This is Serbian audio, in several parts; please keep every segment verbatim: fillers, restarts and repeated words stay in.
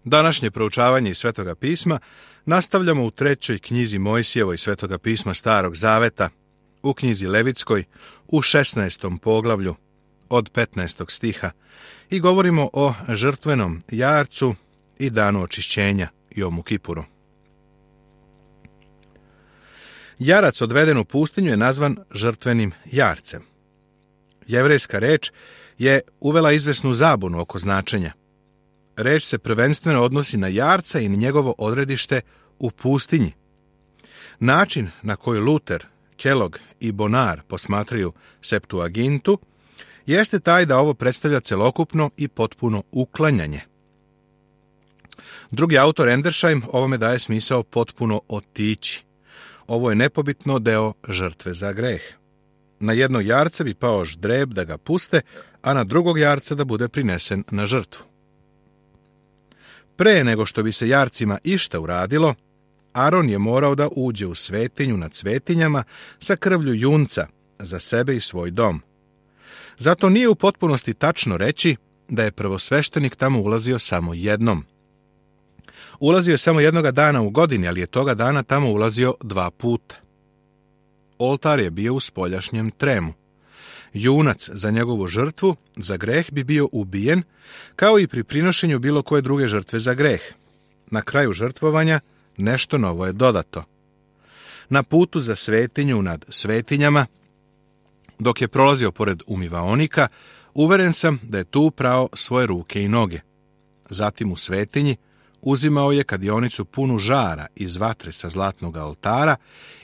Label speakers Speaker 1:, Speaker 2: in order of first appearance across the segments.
Speaker 1: Današnje proučavanje iz Svetoga pisma nastavljamo u trećoj knjizi Mojsijevoj Svetoga pisma Starog Zaveta, u knjizi Levitskoj, u šesnaestom poglavlju, od petnaestog stiha, i govorimo o žrtvenom jarcu i danu očišćenja, Jomu Kipuru. Jarac odveden u pustinju je nazvan žrtvenim jarcem. Jevrejska reč je uvela izvesnu zabunu oko značenja. Reč se prvenstveno odnosi na jarca i na njegovo odredište u pustinji. Način na koji Luter, Kellogg i Bonar posmatraju Septuagintu jeste taj da ovo predstavlja celokupno i potpuno uklanjanje. Drugi autor Endersheim ovome daje smisao potpuno otići. Ovo je nepobitno deo žrtve za greh. Na jednog jarca bi pao ždreb da ga puste, a na drugog jarca da bude prinesen na žrtvu. Pre nego što bi se jarcima išta uradilo, Aron je morao da uđe u svetinju nad svetinjama sa krvlju junca za sebe i svoj dom. Zato nije u potpunosti tačno reći da je prvosveštenik tamo ulazio samo jednom. Ulazio je samo jednoga dana u godini, ali je toga dana tamo ulazio dva puta. Oltar je bio u spoljašnjem tremu. Junac za njegovu žrtvu, za greh, bi bio ubijen, kao i pri prinošenju bilo koje druge žrtve za greh. Na kraju žrtvovanja nešto novo je dodato. Na putu za svetinju nad svetinjama, dok je prolazio pored umivaonika, uveren sam da je tu prao svoje ruke i noge. Zatim u svetinji uzimao je kadionicu punu žara iz vatre sa zlatnog oltara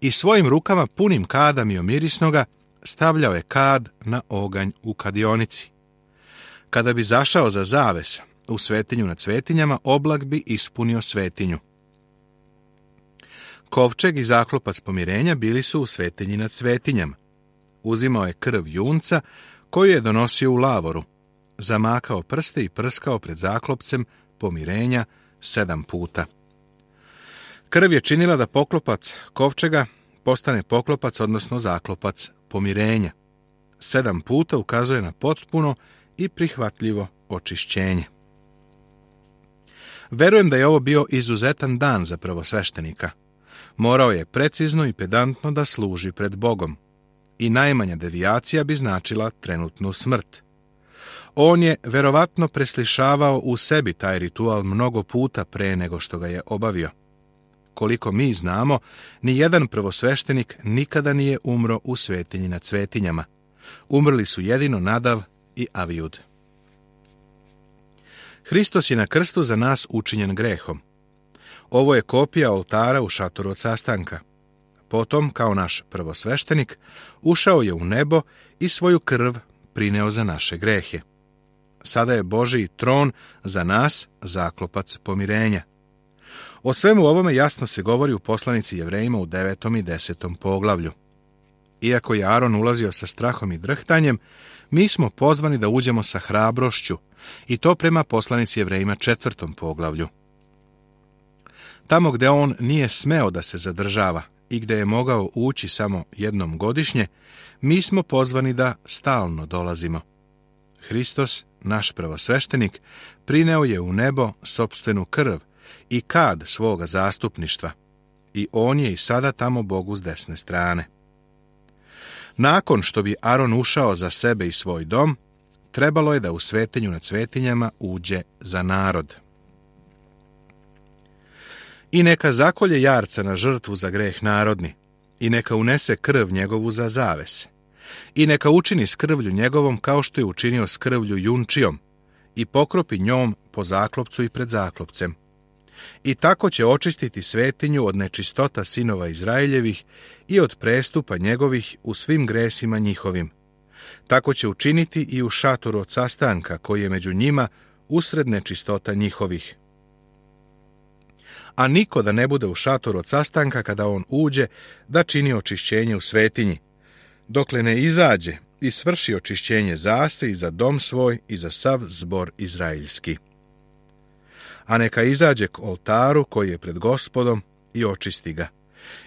Speaker 1: i svojim rukama punim kada miomirisnoga stavljao je kad na oganj u kadionici. Kada bi zašao za zaves u svetinju nad svetinjama, oblak bi ispunio svetinju. Kovčeg i zaklopac pomirenja bili su u svetinji nad svetinjama. Uzimao je krv junca koju je donosio u lavoru, zamakao prste i prskao pred zaklopcem pomirenja sedam puta. Krv je činila da poklopac kovčega postane poklopac, odnosno zaklopac pomirenja. Sedam puta ukazuje na potpuno i prihvatljivo očišćenje. Verujem da je ovo bio izuzetan dan za prvosveštenika. Morao je precizno i pedantno da služi pred Bogom. I najmanja devijacija bi značila trenutnu smrt. On je verovatno preslišavao u sebi taj ritual mnogo puta pre nego što ga je obavio. Koliko mi znamo, ni jedan prvosveštenik nikada nije umro u svetinji nad svetinjama. Umrli su jedino Nadav i Avijud. Hristos je na krstu za nas učinjen grehom. Ovo je kopija oltara u šatoru od sastanka. Potom, kao naš prvosveštenik, ušao je u nebo i svoju krv prineo za naše grehe. Sada je Božji tron za nas zaklopac pomirenja. O svemu ovome jasno se govori u poslanici Jevrejima u devetom i desetom poglavlju. Iako je Aron ulazio sa strahom i drhtanjem, mi smo pozvani da uđemo sa hrabrošću, i to prema poslanici Jevrejima četvrtom poglavlju. Tamo gde on nije smeo da se zadržava i gde je mogao ući samo jednom godišnje, mi smo pozvani da stalno dolazimo. Hristos, naš prvosveštenik, prineo je u nebo sopstvenu krv i kad svoga zastupništva, i on je i sada tamo Bogu s desne strane. Nakon što bi Aron ušao za sebe i svoj dom, trebalo je da u svetinju nad svetinjama uđe za narod. I neka zakolje jarca na žrtvu za greh narodni, i neka unese krv njegovu za zaves, i neka učini s krvlju njegovom kao što je učinio s krvlju junčijom, i pokropi njom po zaklopcu i pred zaklopcem. I tako će očistiti svetinju od nečistota sinova Izraeljevih i od prestupa njegovih u svim gresima njihovim. Tako će učiniti i u šatoru od sastanka koji je među njima usred nečistota njihovih. A niko da ne bude u šatoru od sastanka kada on uđe da čini očišćenje u svetinji, dokle ne izađe i svrši očišćenje za se i za dom svoj i za sav zbor izraeljski. A neka izađe k oltaru koji je pred Gospodom i očisti ga.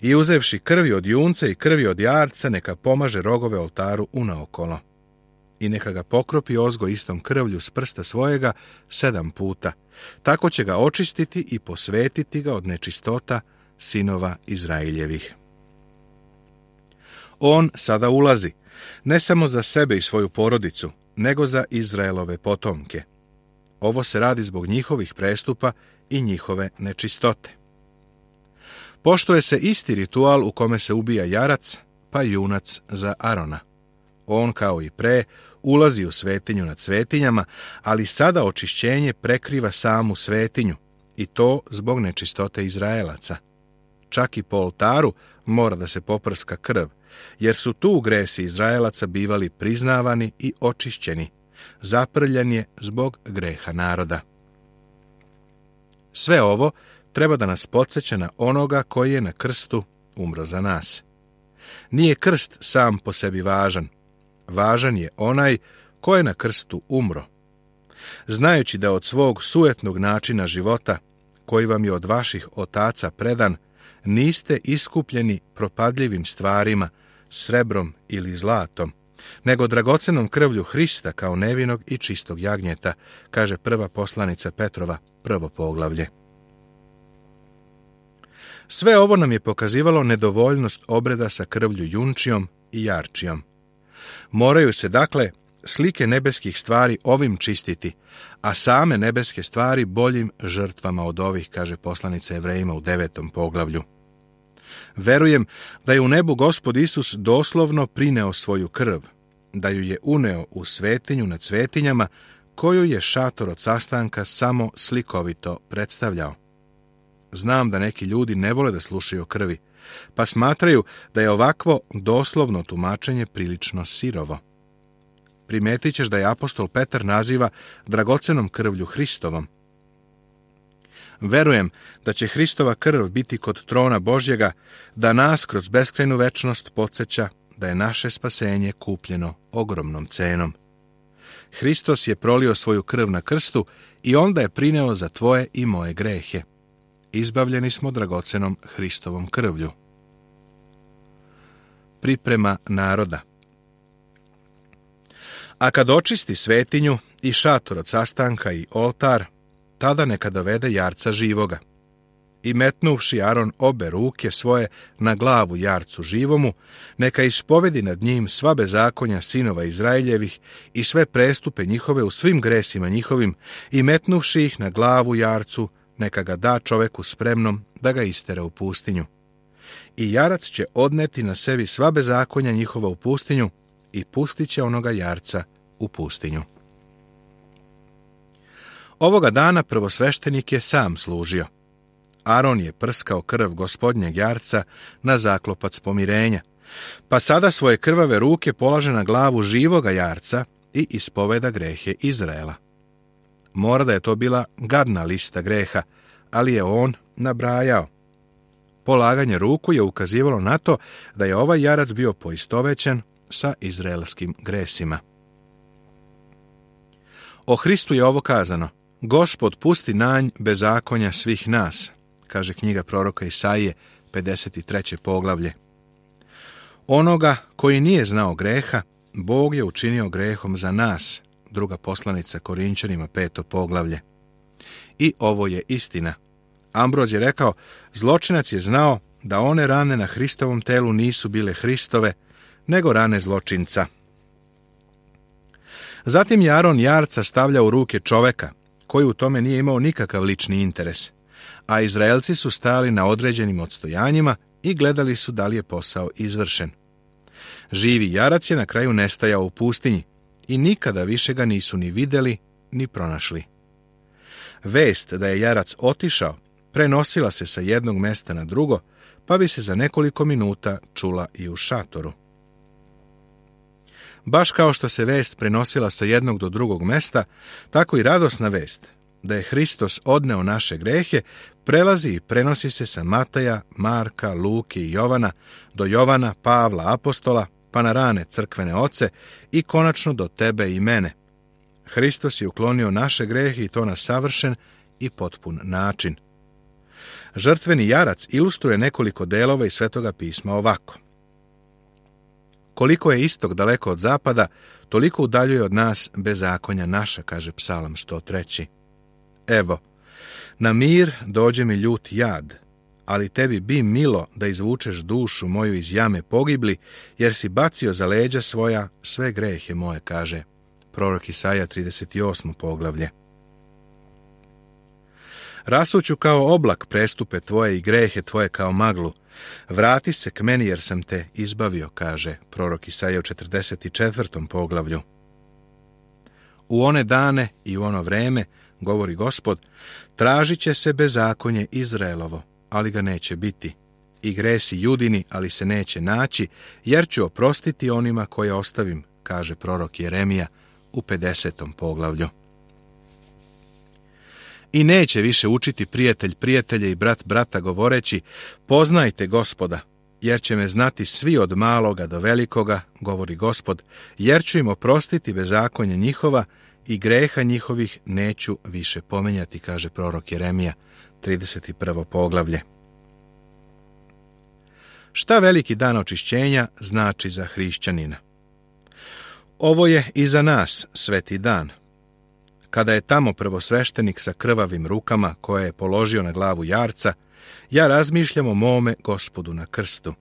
Speaker 1: I uzevši krvi od junca i krvi od jarca, neka pomaže rogove oltaru unaokolo. i neka ga pokropi ozgo istom krvlju s prsta svojega sedam puta. Tako će ga očistiti i posvetiti ga od nečistota sinova Izraeljevih. On sada ulazi, ne samo za sebe i svoju porodicu, nego za Izraelove potomke. Ovo se radi zbog njihovih prestupa i njihove nečistote. Poštuje se isti ritual u kome se ubija jarac, pa junac za Arona. On, kao i pre, ulazi u svetinju nad svetinjama, ali sada očišćenje prekriva samu svetinju, i to zbog nečistote Izraelaca. Čak i po oltaru mora da se poprska krv, jer su tu gresi Izraelaca bivali priznavani i očišćeni. Zaprljan je zbog greha naroda. Sve ovo treba da nas podsjeća na onoga koji je na krstu umro za nas. Nije krst sam po sebi važan. Važan je onaj ko je na krstu umro. Znajući da od svog sujetnog načina života, koji vam je od vaših otaca predan, niste iskupljeni propadljivim stvarima, srebrom ili zlatom, nego dragocenom krvlju Hrista kao nevinog i čistog jagnjeta, kaže prva poslanica Petrova, prvo poglavlje. Sve ovo nam je pokazivalo nedovoljnost obreda sa krvlju junčijom i jarčijom. Moraju se, dakle, slike nebeskih stvari ovim čistiti, a same nebeske stvari boljim žrtvama od ovih, kaže poslanica Evrejima u devetom poglavlju. Verujem da je u nebu Gospod Isus doslovno prineo svoju krv, da ju je uneo u svetinju nad svetinjama, koju je šator od sastanka samo slikovito predstavljao. Znam da neki ljudi ne vole da slušaju o krvi, pa smatraju da je ovakvo doslovno tumačenje prilično sirovo. Primetit ćeš da je apostol Petar naziva dragocenom krvlju Hristovom. Verujem da će Hristova krv biti kod trona Božjega, da nas kroz beskrajnu večnost podsjeća da je naše spasenje kupljeno ogromnom cenom. Hristos je prolio svoju krv na krstu i onda je prineo za tvoje i moje grehe. Izbavljeni smo dragocenom Hristovom krvlju. Priprema naroda. A kad očisti svetinju i šator od sastanka i oltar, tada neka dovede jarca živoga. I metnuvši Aron obe ruke svoje na glavu jarcu živomu, neka ispovedi nad njim sva bezakonja sinova Izraeljevih i sve prestupe njihove u svim gresima njihovim, i metnuvši ih na glavu jarcu, neka ga da čoveku spremnom da ga istera u pustinju. I jarac će odneti na sebi sva bezakonja njihova u pustinju i pustit će onoga jarca u pustinju. Ovoga dana prvosveštenik je sam služio. Aron je prskao krv gospodnjeg jarca na zaklopac pomirenja, pa sada svoje krvave ruke polaže na glavu živoga jarca i ispoveda grehe Izraela. Mora da je to bila gadna lista greha, ali je on nabrajao. Polaganje ruku je ukazivalo na to da je ovaj jarac bio poistovećen sa izraelskim gresima. O Hristu je ovo kazano: Gospod pusti nanj bezakonja svih nas, kaže knjiga proroka Isaije, pedeset treće poglavlje. Onoga koji nije znao greha, Bog je učinio grehom za nas, druga poslanica Korinčanima, peto poglavlje. I ovo je istina. Ambroz je rekao, zločinac je znao da one rane na Hristovom telu nisu bile Hristove, nego rane zločinca. Zatim je Aron jarca stavlja u ruke čoveka, koji u tome nije imao nikakav lični interes, a Izraelci su stajali na određenim odstojanjima i gledali su da li je posao izvršen. Živi jarac je na kraju nestajao u pustinji i nikada više ga nisu ni vidjeli, ni pronašli. Vest da je jarac otišao prenosila se sa jednog mesta na drugo, pa bi se za nekoliko minuta čula i u šatoru. Baš kao što se vest prenosila sa jednog do drugog mesta, tako i radosna vest da je Hristos odneo naše grehe prelazi i prenosi se sa Mataja, Marka, Luke i Jovana do Jovana, Pavla, apostola, pa na rane crkvene oce i konačno do tebe i mene. Hristos je uklonio naše grehe i to na savršen i potpun način. Žrtveni jarac ilustruje nekoliko delova iz Svetoga pisma ovako. Koliko je istok daleko od zapada, toliko udaljuje od nas bezakonja naša, kaže Psalam sto tri. Evo, na mir dođe mi ljut jad, ali tebi bi milo da izvučeš dušu moju iz jame pogibli, jer si bacio za leđa svoja sve grehe moje, kaže prorok Isaija trideset osmo poglavlje. Rasuću kao oblak prestupe tvoje i grehe tvoje kao maglu. Vrati se k meni jer sam te izbavio, kaže prorok Isaija u četrdeset četvrtom poglavlju. U one dane i u ono vreme, govori Gospod, tražit će se bezakonje Izraelovo, ali ga neće biti, i gresi Judini, ali se neće naći, jer ću oprostiti onima koje ostavim, kaže prorok Jeremija u pedesetom poglavlju. I neće više učiti prijatelj prijatelja i brat brata govoreći, poznajte Gospoda, jer će me znati svi od maloga do velikoga, govori Gospod, jer ću im oprostiti bezakonje njihova i greha njihovih neću više pominjati, kaže prorok Jeremija, trideset prvo poglavlje. Šta veliki dan očišćenja znači za hrišćanina? Ovo je i za nas sveti dan. Kada je tamo prvosveštenik sa krvavim rukama koje je položio na glavu jarca, ja razmišljam o mome Gospodu na krstu.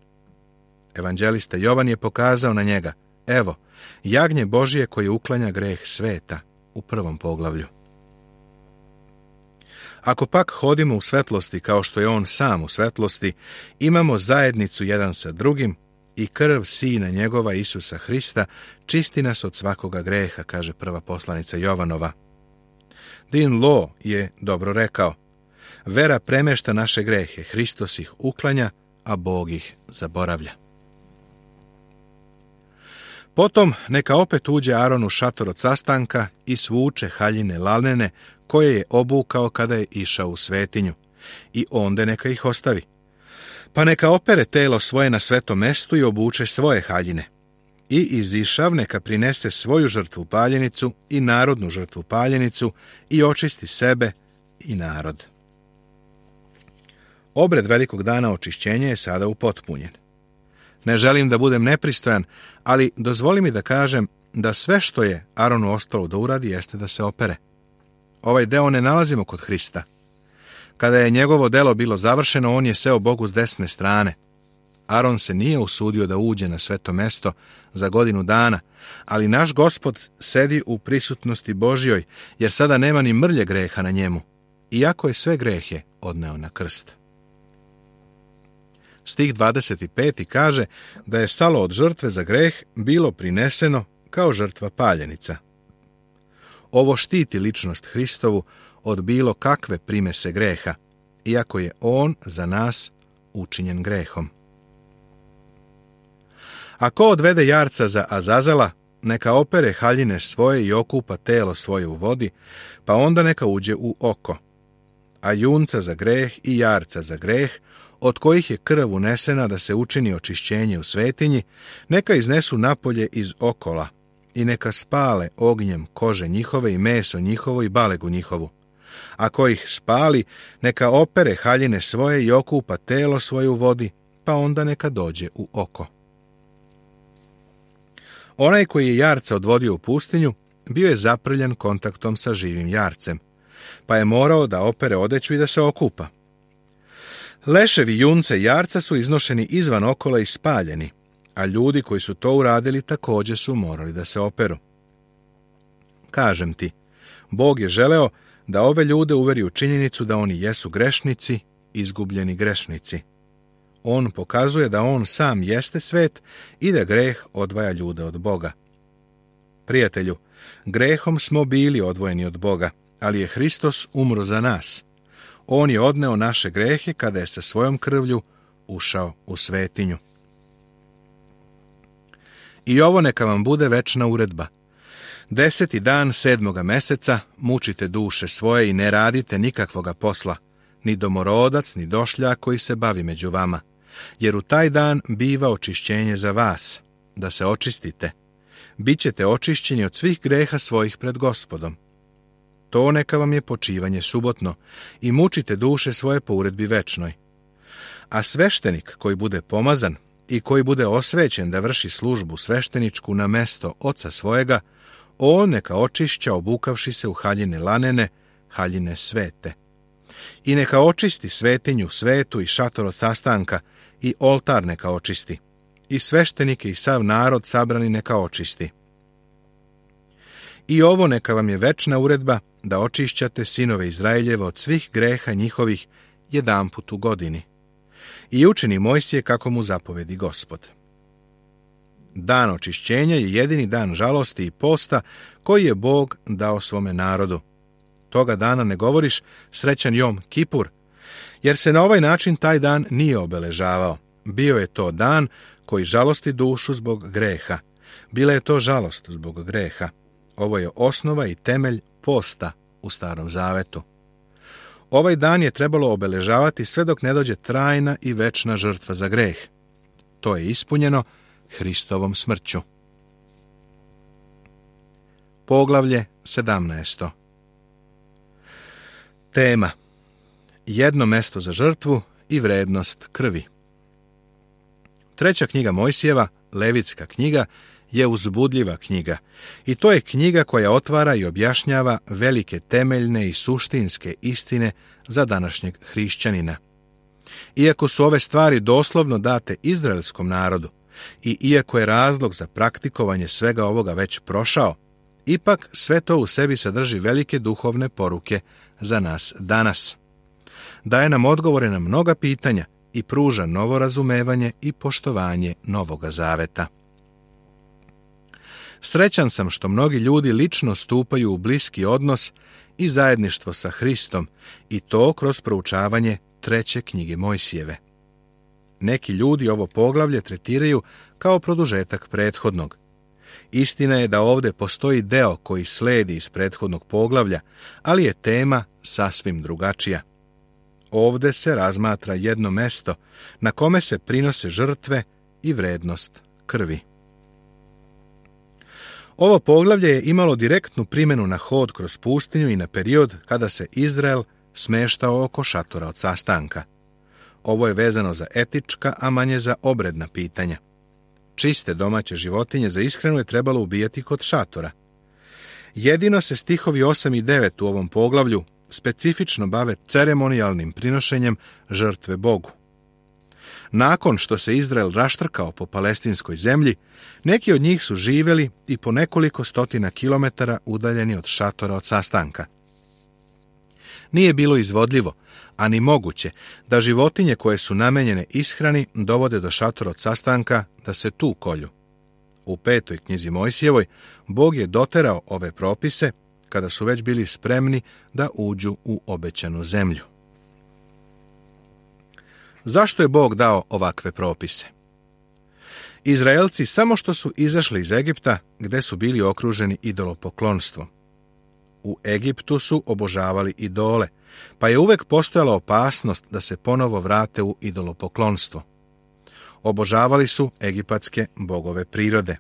Speaker 1: Evanđelista Jovan je pokazao na njega, evo, jagnje Božije koje uklanja greh sveta, u prvom poglavlju. Ako pak hodimo u svetlosti kao što je on sam u svetlosti, imamo zajednicu jedan sa drugim i krv Sina njegova Isusa Hrista čisti nas od svakoga greha, kaže prva poslanica Jovanova. Dean Law je dobro rekao, vera premešta naše grehe, Hristos ih uklanja, a Bog ih zaboravlja. Potom neka opet uđe Aron u šator od sastanka i svuče haljine lalnene koje je obukao kada je išao u svetinju, i onda neka ih ostavi. Pa neka opere telo svoje na svetom mestu i obuče svoje haljine. I izišav neka prinese svoju žrtvu paljenicu i narodnu žrtvu paljenicu i očisti sebe i narod. Obred velikog dana očišćenja je sada upotpunjen. Ne želim da budem nepristojan, ali dozvoli mi da kažem da sve što je Aronu ostalo da uradi jeste da se opere. Ovaj deo ne nalazimo kod Hrista. Kada je njegovo delo bilo završeno, on je seo Bogu s desne strane. Aron se nije usudio da uđe na sveto mesto za godinu dana, ali naš Gospod sedi u prisutnosti Božjoj, jer sada nema ni mrlje greha na njemu, iako je sve grehe odneo na krst. Stih dvadeset pet kaže da je salo od žrtve za greh bilo prineseno kao žrtva paljenica. Ovo štiti ličnost Hristovu od bilo kakve primese greha, iako je on za nas učinjen grehom. Ako odvede jarca za Azazela, neka opere haljine svoje i okupa telo svoje u vodi, pa onda neka uđe u oko. A junca za greh i jarca za greh, od kojih je krv unesena da se učini očišćenje u svetinji, neka iznesu napolje iz okola i neka spale ognjem kože njihove i meso njihovo i balegu njihovu. Ako ih spali, neka opere haljine svoje i okupa telo svoje u vodi, pa onda neka dođe u oko. Onaj koji je jarca odvodio u pustinju, bio je zaprljan kontaktom sa živim jarcem, pa je morao da opere odeću i da se okupa. Leševi junce i jarca su iznošeni izvan okola i spaljeni, a ljudi koji su to uradili također su morali da se operu. Kažem ti, Bog je želeo da ove ljude uveri u činjenicu da oni jesu grešnici, izgubljeni grešnici. On pokazuje da on sam jeste svet i da greh odvaja ljude od Boga. Prijatelju, grehom smo bili odvojeni od Boga, ali je Hristos umro za nas. On je odneo naše grehe kada je sa svojom krvlju ušao u svetinju. I ovo neka vam bude večna uredba. Deseti dan sedmoga meseca mučite duše svoje i ne radite nikakvoga posla, ni domorodac, ni došljak koji se bavi među vama, jer u taj dan biva očišćenje za vas, da se očistite. Bićete očišćeni od svih greha svojih pred Gospodom. To neka vam je počivanje subotno i mučite duše svoje po uredbi večnoj. A sveštenik koji bude pomazan, i koji bude osvećen da vrši službu svešteničku na mesto oca svojega, on neka očišća obukavši se u haljine lanene, haljine svete. I neka očisti svetinju svetu i šator od sastanka, i oltar neka očisti, i sveštenike i sav narod sabrani neka očisti. I ovo neka vam je večna uredba, da očišćate sinove Izraeljeva od svih greha njihovih jedanput u godini. I učini Mojsije kako mu zapovedi Gospod. Dan očišćenja je jedini dan žalosti i posta koji je Bog dao svome narodu. Toga dana ne govoriš srećan Jom Kipur, jer se na ovaj način taj dan nije obeležavao. Bio je to dan koji žalosti dušu zbog greha. Bila je to žalost zbog greha. Ovo je osnova i temelj posta u Starom Zavetu. Ovaj dan je trebalo obeležavati sve dok ne dođe trajna i večna žrtva za greh. To je ispunjeno Hristovom smrću. Poglavlje sedamnaesto. Tema: jedno mesto za žrtvu i vrednost krvi. Treća knjiga Mojsijeva, Levitska knjiga, je uzbudljiva knjiga i to je knjiga koja otvara i objašnjava velike temeljne i suštinske istine za današnjeg hrišćanina. Iako su ove stvari doslovno date izraelskom narodu i iako je razlog za praktikovanje svega ovoga već prošao, ipak sve to u sebi sadrži velike duhovne poruke za nas danas. Daje nam odgovore na mnoga pitanja i pruža novo razumevanje i poštovanje Novoga Zaveta. Srećan sam što mnogi ljudi lično stupaju u bliski odnos i zajedništvo sa Hristom, i to kroz proučavanje treće knjige Mojsijeve. Neki ljudi ovo poglavlje tretiraju kao produžetak prethodnog. Istina je da ovdje postoji deo koji sledi iz prethodnog poglavlja, ali je tema sasvim drugačija. Ovdje se razmatra jedno mesto na kome se prinose žrtve i vrednost krvi. Ovo poglavlje je imalo direktnu primjenu na hod kroz pustinju i na period kada se Izrael smeštao oko šatora od sastanka. Ovo je vezano za etička, a manje za obredna pitanja. Čiste domaće životinje za ishranu je trebalo ubijati kod šatora. Jedino se stihovi osam i devet u ovom poglavlju specifično bave ceremonijalnim prinošenjem žrtve Bogu. Nakon što se Izrael raštrkao po palestinskoj zemlji, neki od njih su živjeli i po nekoliko stotina kilometara udaljeni od šatora od sastanka. Nije bilo izvodljivo, a ni moguće, da životinje koje su namenjene ishrani dovode do šatora od sastanka da se tu kolju. U petoj knjizi Mojsijevoj Bog je doterao ove propise kada su već bili spremni da uđu u obećanu zemlju. Zašto je Bog dao ovakve propise? Izraelci samo što su izašli iz Egipta, gde su bili okruženi idolopoklonstvom. U Egiptu su obožavali idole, pa je uvek postojala opasnost da se ponovo vrate u idolopoklonstvo. Obožavali su egipatske bogove prirode.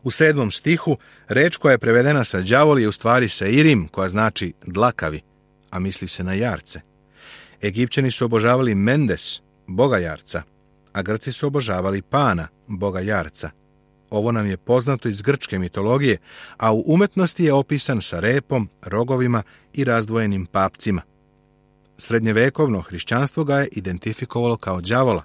Speaker 1: U sedmom stihu reč koja je prevedena sa đavol je u stvari seirim, koja znači dlakavi, a misli se na jarce. Egipćani su obožavali Mendes, boga jarca, a Grci su obožavali Pana, boga jarca. Ovo nam je poznato iz grčke mitologije, a u umetnosti je opisan sa repom, rogovima i razdvojenim papcima. Srednjevekovno hrišćanstvo ga je identifikovalo kao đavola.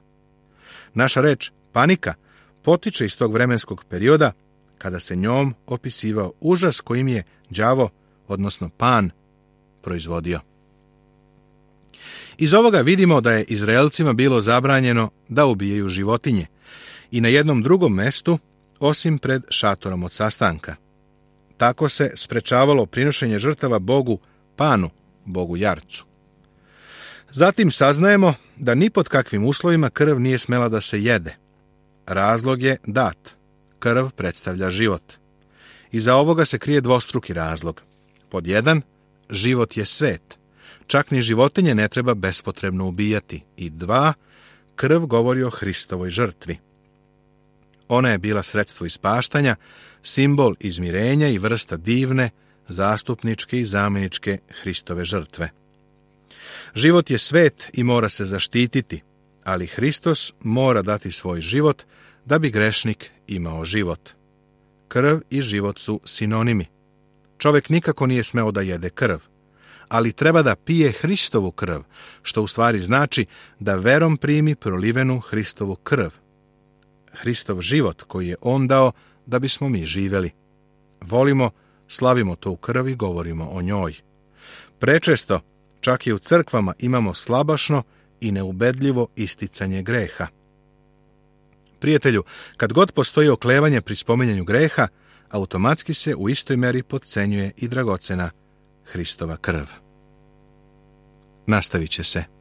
Speaker 1: Naša reč panika potiče iz tog vremenskog perioda kada se njom opisivao užas kojim je đavo, odnosno Pan, proizvodio. Iz ovoga vidimo da je Izraelcima bilo zabranjeno da ubijaju životinje i na jednom drugom mestu, osim pred šatorom od sastanka. Tako se sprečavalo prinošenje žrtava Bogu Panu, Bogu jarcu. Zatim saznajemo da ni pod kakvim uslovima krv nije smela da se jede. Razlog je dat. Krv predstavlja život. Iza ovoga se krije dvostruki razlog. Pod jedan, život je svet. Čak ni životinje ne treba bespotrebno ubijati. I dva, krv govori o Hristovoj žrtvi. Ona je bila sredstvo ispaštanja, simbol izmirenja i vrsta divne, zastupničke i zamjeničke Hristove žrtve. Život je svet i mora se zaštititi, ali Hristos mora dati svoj život da bi grešnik imao život. Krv i život su sinonimi. Čovjek nikako nije smeo da jede krv, ali treba da pije Hristovu krv, što u stvari znači da verom primi prolivenu Hristovu krv. Hristov život koji je on dao da bismo mi živjeli. Volimo, slavimo tu krv i govorimo o njoj. Prečesto, čak i u crkvama imamo slabašno i neubedljivo isticanje greha. Prijatelju, kad god postoji oklevanje pri spominjanju greha, automatski se u istoj meri potcenjuje i dragocena Hristova krv. Nastavit će se.